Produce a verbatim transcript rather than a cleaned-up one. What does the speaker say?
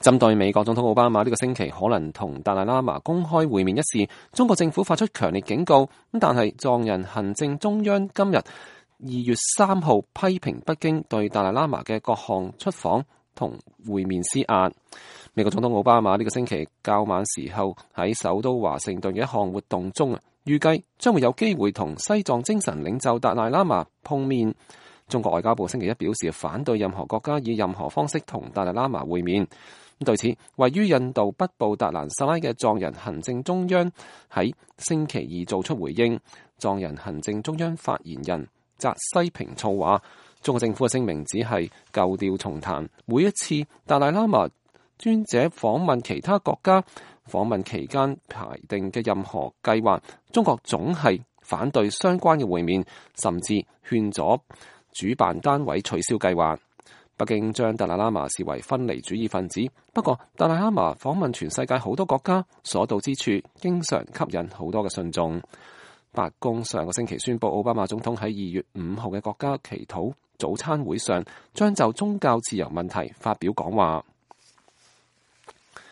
針對美國總統奧巴馬呢個星期可能同達賴喇嘛公開會面一事，中國政府發出強烈警告。咁但係藏人行政中央今日二月三號批評北京對達賴喇嘛嘅各項出訪同會面施壓。美國總統奧巴馬呢個星期較晚時候喺首都華盛頓嘅一項活動中啊，預計將會有機會同西藏精神領袖達賴喇嘛碰面。中國外交部星期一表示反對任何國家以任何方式同達賴喇嘛會面。對此，位於印度北部達蘭薩拉嘅藏人行政中央喺星期二做出回應。藏人行政中央發言人扎西平措話，中國政府嘅聲明只係舊調重彈，每一次達賴喇嘛尊者訪問其他國家訪問期間排定嘅任何計劃，中國總係反對相關嘅會面，甚至勸阻主辦單位取消計劃。北京將達賴喇嘛視為分離主義分子，不過達賴喇嘛訪問全世界好多國家，所到之處經常吸引好多嘅信眾。白宮上個星期宣布，奧巴馬總統喺二月五號嘅國家祈禱早餐會上，將就宗教自由問題發表講話。